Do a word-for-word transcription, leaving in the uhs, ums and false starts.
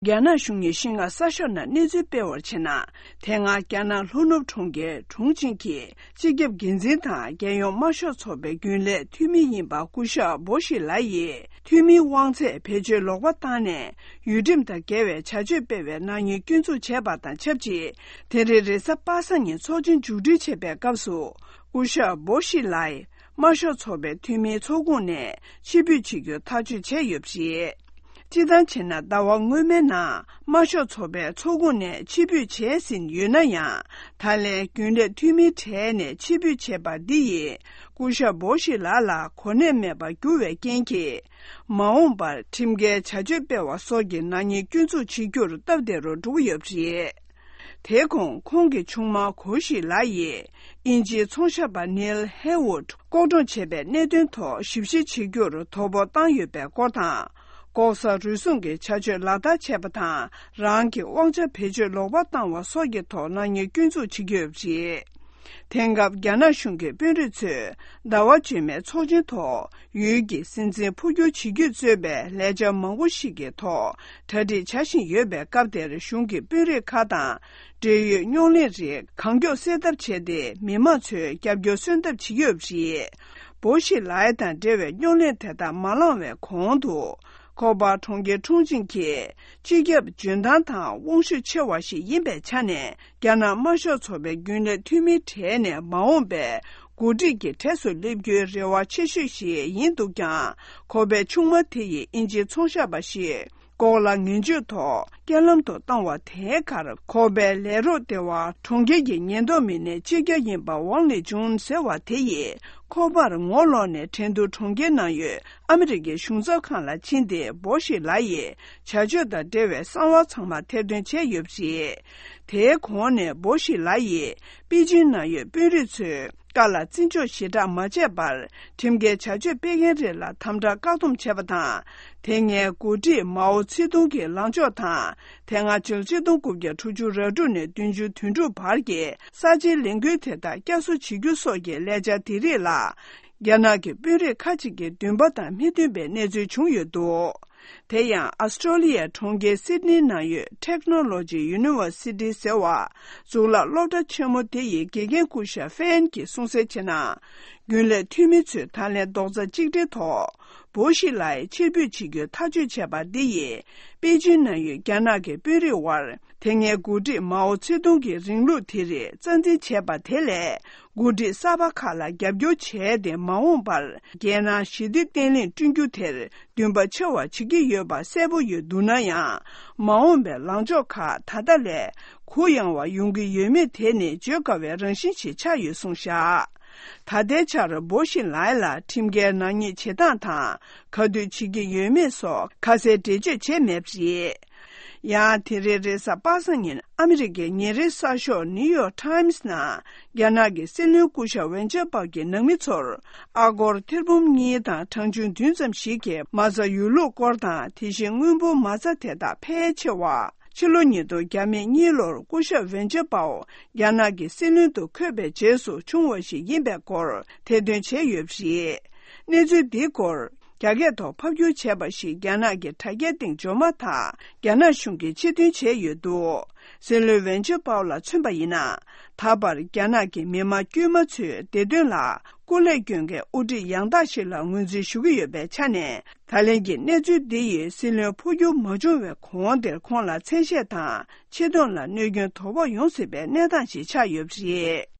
རྒྱ་ནག་གཞུང་གིས་ཤིན་ཧྭ་གསར་ཤོག་ནང་གནས་ཚུལ་སྤེལ་བར་བྱས་ན། དེ་སྔ་རྒྱ་ནག་ལྷོ་ནུབ་གྲོང་ཁྱེར་ཁྲུང་ཆིང་གི་སྤྱི་ཁྱབ་འགན་འཛིན་དང་རྒྱལ་ཡོངས་དམར་ཤོག་ཚོགས་པའི་རྒྱུན་ལས་འཐུས་མི་ཡིན་པ་སྐུ་ཞབས་བོ་ཤི་ལ་ཡིས་འཐུས་མིའི་དབང་ཚད་བེད་སྤྱོད་ལོག་པ་བཏང་ནས། ཡུལ་ཁྲིམས་དང་འགལ་བའི་བྱ་སྤྱོད་སྤེལ་བའི་ནག་ཉེས་སྐྱོན་འཛུགས་བྱས་པ་དང་ཆབས་ཅིག་དེ་རིང་རེས་གཟའ་པ་སངས་ཉིན་ཚོགས་ཆེན་མཇུག་སྒྲིལ་བྱེད་པའི་སྐབས་སུ། སྐུ་ཞབས་བོ་ཤི་ལའི་དམར་ཤོག་ཚོགས་པའི་འཐུས་མིའི་ཚོགས་ཁོངས་ནས་ཕྱིར་འབུད་བྱེད་རྒྱུ་ཐག་གཅོད་བྱས་ཡོད་པ་རེད། སྤྱིར་བཏང་བྱས་ན། ཟླ་བ་སྔོན་མའི་ནང་དམར་ཤོག་ཚོགས་པའི་ཚོགས་ཁོངས་ནས་ཕྱིར་འབུད་བྱས་ཟིན་ཡོད་ན་ཡང་། ད་ལན་རྒྱུན་ལས་འཐུས་མིའི་གྲས་ནས་ཕྱིར་འབུད་བྱས་པ་འདི་ཡིས། སྐུ་ཞབས་བོ་ཤི་ལ་ལ་གོ་གནས་མེད་པར་གྱུར་བའི་རྐྱེན་གྱིས། མ་འོངས་པར་ཁྲིམས་འགལ་བྱ་སྤྱོད་སྤེལ་བ་སོགས་ཀྱི་ནག་ཉེས་སྐྱོན་འཛུགས་བྱེད་རྒྱུར་སྟབས་བདེ་རུ་འགྲོ་གི་ཡོད་པ་རེད། དེའི་གོང་ཁོང་གི་ཆུང་མ་གོ་ཤི་ལ་ཡིས་དབྱིན་ཇིའི་ཚོང་ཞབས་པ་ནིལ་ཧེ་ཝུད་ལྐོག་གྲོང་བྱས་པའི་གནད་དོན་ཐོག་ཞིབ་བཤེར་བྱེད་རྒྱུར་དོ་ཕོག་བཏང་ཡོད་པའི་སྐོར་དང་། ལྐོག་ཟ་རུལ་སུངས་ཀྱི་བྱ་སྤྱོད་ལག་བསྟར་བྱས་པ་དང་། རང་གི་དབང་ཆ་བེད་སྤྱོད་ལོག་པར་བཏང་བ་སོགས་ཀྱི་ཐོག་ནག་ཉེས་སྐྱོན་འཛུགས་བྱེད་ཀྱི་ཡོད་པ་རེད། དེང་སྐབས་རྒྱ་ནག་གཞུང་གི་དཔོན་རིགས་ཚོས་ཟླ་བ་རྗེས་མའི་ཚོགས་ཆེན་ཐོག་ཡུལ་གྱི་སྲིད་འཛིན་འཕོ་འགྱུར་བྱེད་རྒྱུས་གཙོས་པའི་ལས་འཆར་མང་པོ་ཞིག་གི་ཐོག་གྲ་སྒྲིག་བྱ་བཞིན་ཡོད་པའི་སྐབས་དེར། གཞུང་གི་དཔོན་རིགས་ཁག་དང་འབྲེལ་ཡོད་རྙོག་གླེང་རིགས་གང་མགྱོགས་སེལ་ཐབས་བྱས་ཏེ། མི་མང་ཚོའི་རྒྱབ་སྐྱོར་སོན་ཐབས་བྱེད་ཀྱི་ཡོད་པ་རེད། བོ་ཤི་ལའི་དང་འབྲེལ་བའི་རྙོག་གླེང་དེ་དག་མ་ལངས་བའི་གོང་དུ། ཁོ་པ་གྲོང་ཁྱེར་ཁྲུང་ཆིང་གི་སྤྱི་ཁྱབ་འཇོན་ཐང་དང་དབང་ཤུགས་ཆེ་བ་ཞིག་ཡིན་པའི་ཆ་ནས། རྒྱ་ནག་དམར་ཤོག་ཚོགས་པའི་རྒྱུན་ལས་འཐུས་མིའི་གྲས་ནས་མ་འོངས་པའི་འགོ་ཁྲིད་ཀྱི་གྲས་སུ་སླེབས་རྒྱུའི་རེ་བ་ཆེ་ཤོས་ཤིག་ཡིན་འདུག་ཀྱང་། ཁོ་པའི་ཆུང་མ་དེ་ཡིས་དབྱིན་ཇིའི་ཚོང་ཞབས་པ་ཞིག་ལྐོག་ལ་ངན་བྱུས་ཐོག་རྐྱེན་ལམ་དུ་བཏང་བ་དེའི་ཁར། ཁོ་པའི་ལས་རོགས་སྡེ་བ་གྲོང་ཁྱེར་གྱི་ཉེན་རྟོག་མི་སྣའི་སྤྱི་ཁྱབ་ཡིན་པ་ཝང་ལི་ཇུན་ཟེར་བ་དེ་ཡིས། ཁོ་པར་ངོ་ལོག་ནས་ཁྲེང་ཏུའུ་གྲོང་ཁྱེར་ནང་ཡོད་ཨ་མི་རི་ཀའི་གཞུང་ཚབ་ཁང་ལ་ཕྱིན་ཏེ། བོ་ཤི་ལ་ཡི་བྱ་སྤྱོད་དང་འབྲེལ་བའི་གསང་བ་ཚང་མ་ཐེར་འདོན་བྱས་ཡོད་པ་རེད། དེའི་གོང་ནས་བོ་ཤི་ལ་ཡིས་པེ་ཅིན་ནང་ཡོད་དཔོན་རིགས་ཚོའི་བཀའ་ལ་བརྩི་འཇོག་ཞེ་དྲག་མ་བྱས་པར། ཁྲིམས་འགལ་བྱ་སྤྱོད་སྤེལ་མཁན་རིགས་ལ་དམ་དྲག་བཀག་སྡོམ་བྱས་པ་དང་། དེ་སྔའི་འགོ་ཁྲིད་མའོ་ཙེ་ཏུང་གི་ལངས་ཕྱོགས་དང་། དེ་སྔ་ཕྱི་ལོ་ཆིག་སྟོང་དགུ་བརྒྱ་དྲུག་ཅུ་རེ་དྲུག་ནས་བདུན་ཅུ་དོན་དྲུག་བར་གྱི་ས་ཆའི་ལས་འགུལ་དེ་དག་བསྐྱར་གསོ་བྱེད་རྒྱུ་སོགས་ཀྱི་ལས་འཆར་དེ་རིགས་ལ། རྒྱ་ནག་གི་དཔོན་རིགས་ཁག་ཅིག་གི་འདུན་པ་དང་མི་མཐུན་པའི་གནས་ཚུལ་བྱུང་ཡོད་འདུག་དེ་ཡང་། ཨ་སི་ཀྲོ་ལི་ཡའི་གྲོང་ཁྱེར་སིད་ནི་ནང་ཡོད་Technology University ཟེར་བ། གཙུག་ལག་སློབ་གྲྭ་ཆེན་མོ་དེ་ཡི་དགེ་རྒན་སྐུ་ཞབས་ཧྥན་གྱིས་གསུངས་གསལ་བྱས་ན། རྒྱུན་ལས་འཐུས་མི་ཚོས་ད་ལན་རྡོག་རྩ་གཅིག་སྒྲིལ་ཐོག་བོ་ཤི་ལའི་ཕྱིར་འབུད་བྱེད་རྒྱུའི་ཐག་གཅོད་བྱས་པ་འདི་ཡིས། པེ་ཅིན་ནང་ཡོད་རྒྱ་ནག་གི་དཔོན་རིགས་དབར། དེ་སྔའི་འགོ་ཁྲིད་མའོ་ཙེ་ཏུང་གི་རིང་ལུགས་དེ་རིགས་རྩ་འཛིན་བྱས་པ་དེ་ལས། འགོ་ཁྲིད་གསར་པ་ཁག་ལ་རྒྱབ་སྐྱོར་བྱས་ཏེ། མ་འོངས་པར་རྒྱལ་ནང་ཞི་བདེ་བརྟན་ལྷིང་བསྐྲུན་རྒྱུ་དེར་འདུན་པ་ཆེ་བ་བྱེད་ཀྱི་ཡོད་པ་གསལ་པོ་ཡོད་འདུག་ན་ཡང་། མ་འོངས་པའི་ལངས་ཕྱོགས་ཁག་ད་ལྟ་ལས་གུ་ཡངས་བ་ཡོང་གི་ཡོད་མེད་དེ་ནི་བརྗོད་དཀའ་བའི་རང་བཞིན་ཞིག་ཆགས་ཡོད་གསུངས་བཞག་ད་ལྟའི་ཆར་བོ་ཤི་ལའི་ལ་ཁྲིམས་འགལ་ནག་ཉེས་བྱེད་སྟངས་དང་ག་དུས་བྱེད་ཀྱི་ཡོད་མེད་སོགས་ཁ་གསལ་འགྲེལ་བརྗོད་བྱས་མེད་པ་རེད། ཡང་དེ་རིང་རེས་གཟའ་པ་སངས་ཉིན་ཨ་མི་རི་ཀའི་ཉིན་རེའི་གསར་ཤོག་New York Times ནང་རྒྱ་ནག་གི་སྲིད་བློན་སྐུ་ཞབས་ཝེན་ཅར་པའོ་གིས་ནང་མི་ཚོར་ཨ་སྒོར་ཐེར་འབུམ་གཉིས་དང་གྲངས་ཆུང་བདུན་ཙམ་ཞིག་གི་མ་རྩ་ཡོད་ལུགས་སྐོར་དང་། དེ་བཞིན་དངུལ་འབོར་མ་རྩ་དེ་དག་ཕལ་ཆེ་བ་ཕྱི་ལོ་ཉིས་སྟོང་གཉིས་ལོར་སྐུ་ཞབས་ཝེན་ཅར་པའོ་རྒྱ་ནག་གི་སྲིད་བློན་དུ་འཁོད་པའི་རྗེས་སུ་བྱུང་བ་ཞིག་ཡིན་པའི་སྐོར་ཐེར་འདོན་བྱས་ཡོད་པ་རེད། གནས་ཚུལ་འདིའི་སྐོར་རྒྱ་སྐད་ཐོག་ཕབ་བསྒྱུར་བྱས་པ་ཞིག་རྒྱ་ནག་གི་དྲ་རྒྱའི་སྟེང་འབྱོར་མ་ཐག་རྒྱ་ནག་གཞུང་གིས་ཕྱིར་འདོན་བྱས་ཡོད་འདུག་སྲིད་བློན་ཝེན་ཅར་པའོ་ལ་མཚོན་པ་ཡིན་ན། ད་བར་རྒྱ་ནག་གི་མི་དམངས་དཀྱུས་མ་ཚོའི་བདེ་དོན་ལ་སྐུ་ལས་བསྐྱོན་མཁན་དབུ་ཁྲིད་ཡང་དག་ཞིག་ལ་ངོས་འཛིན་ཞུ་གི་ཡོད་པའི་ཆ་ནས། ད་ལན་གྱི་གནས་ཚུལ་འདི་ཡིས་སྲིད་བློན་འཕོ་འགྱུར་མ་བྱུང་བའི་གོང་དེར་ཁོང་ལ་མཚན་ཤས་དང་ཆེ་མཐོང་ལ་གནོད་སྐྱོན་དོ་ཕོག་ཡོང་སྲིད་པའི་གནས་སྟངས་ཤིག་ཆགས་ཡོད་པ་རེད།